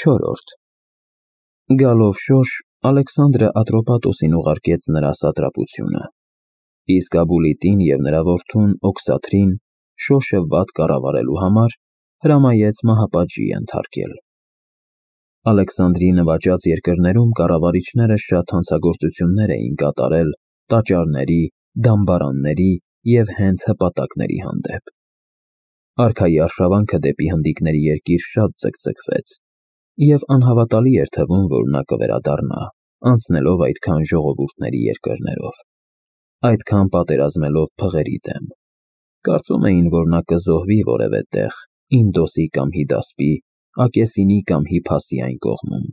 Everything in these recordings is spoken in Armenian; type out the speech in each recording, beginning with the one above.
4. Գալով շոշ, Ալեքսանդրը Ատրոպատոսին ուղարկեց նրա սատրապությունը, իսկ Աբուլիտին և նրա որդուն Օքսաթրին շոշը վատ կառավարելու համար հրամայեց մահապատժի ենթարկել։ Ալեքսանդրի նվաճած երկրներում կառավարիչները շատ հանցագործություններ էին կատարել տաճարների, դամբարանների և հենց հպատակների հանդեպ։ Արքայի արշավանքը դեպի հնդիկների երկիր շատ ձգձգվեց, և անհավատալի էր թվում, որ նա կվերադառնա, անցնելով այդքան ժողովուրդների երկրներով, այդքան պատերազմելով փղերի դեմ։ Կարծում էին, որ նա կզոհվի որևէ տեղ, Ինդոսի կամ Հիդասպի, Ակեսինի կամ Հիփասի այն կողմում։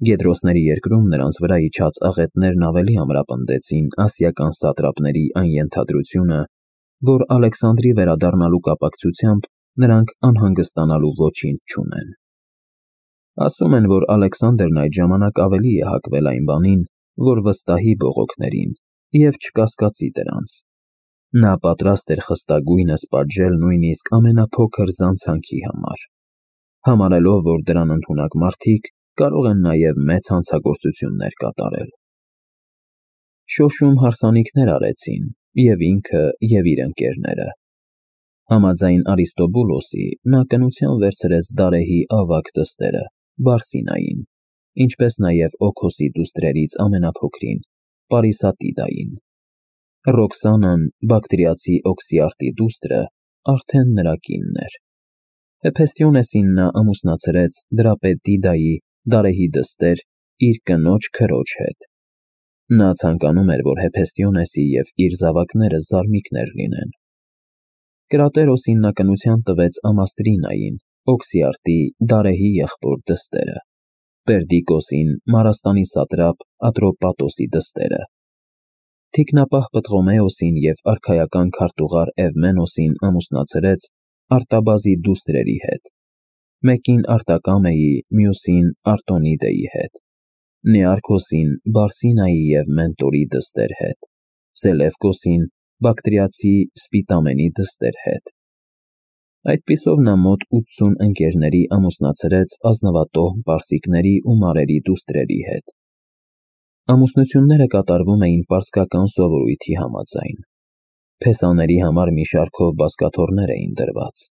Գեդրոսների երկրում նրանց վրա իջած աղետներն ավելի ամրապնդեցին ասիական սատրապների այն ենթադրությունը, որ Ալեքսանդրի վերադառնալու կապակցությամբ նրանք անհանգստանալու ոչինչ չունեն։ Ասում են, որ Ալեքսանդրն այդ ժամանակ ավելի է հակվել այն բանին, որ վստահի բողոքներին և չկասկածի դրանց։ Նա պատրաստ էր խստագույնս պատժել նույնիսկ ամենափոքր զանցանքի համար, համարելով, որ դրան ընդունակ մարդիկ կարող են նաև մեծ հանցագործություններ կատարել։ Շոշում հարսանիքներ արեցին և ինքը, և իր ընկերները։ Համաձայն Արիստոբուլոսի, նա կնության վերցրեց Դարեհի ավագ դստերը՝ Բարսինային, ինչպես նաև Օքոսի դուստրերից ամենափոքրին՝ Պարիսատիդային։ Ռոքսանան, բակտրիացի Օքսիարտի դուստրը, արդեն նրա կինն էր։ Հեփեստիոնեսին նա ամուսնացրեց դրապետ Դիդայի, Դարեհի դստեր, իր կնոջ քրոջ հետ։ Նա ցանկանում էր, որ Հեփեստիոնեսի և իր զավակները զարմիկներ լինեն։ Կրատերոսին նա կնության տվեց Ամաստրինային, Օքսիարտի, Դարեհի եղբոր դստերը, Պերդիկոսին Մարաստանի սատրապ Ատրոպատոսի դստերը, թիկնապահ Պտղոմեոսին և արքայական քարտուղար Էվմենոսին ամուսնացրեց Արտաբազի դուստրերի հետ, մեկին Արտակամեի, մյուսին Արտոնիդեի հետ, Նեարքոսին Բարսինայի և Մենտորի դստեր հետ, Սելևկոսին բակտրիացի Սպիտամենի դստեր հետ։ Այդպիսով նա մոտ 80 ընկերների ամուսնացրեց ազնվատոհմ պարսիկների ու մարերի դուստրերի հետ։ Ամուսնությունները կատարվում էին պարսկական սովորույթի համաձայն։ Փեսաների համար մի շարքով բազկաթոռներ էին դրված։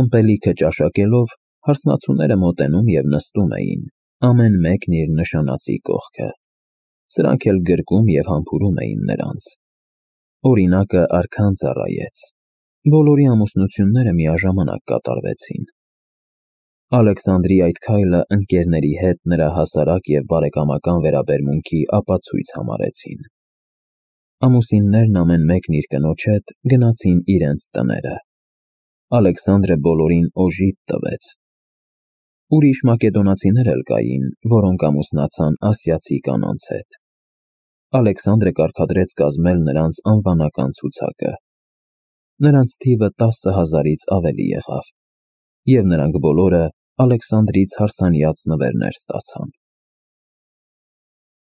Ըմպելիքը ճաշակելով, հարսնացուները մոտենում և նստում էին, ամեն մեկն իր նշանածի կողքը։ Սրանք էլ գրկում և համբուրում էին նրանց։ Օրինակը արքան ծառայեց։ Բոլորի ամուսնությունները միաժամանակ կատարվեցին։ Ալեքսանդրի այդ քայլը ընկերների հետ նրա հասարակ և բարեկամական վերաբերմունքի ապացույց համարեցին։ Ամուսիններն ամեն մեկն իր կնոջ հետ գնացին իրենց տները։ Ալեքսանդրը բոլորին օժիտ տվեց։ Ուրիշ մակեդոնացիներ էլ կային, որոնք ամուսնացան ասիացի կանանց հետ։ Ալեքսանդրը կարգադրեց կազմել նրանց անվանական ցուցակը։ Նրանց թիվը 10,000-ից ավելի եղավ, և նրանք բոլորը Ալեքսանդրից հարսանյաց նվերներ ստացան։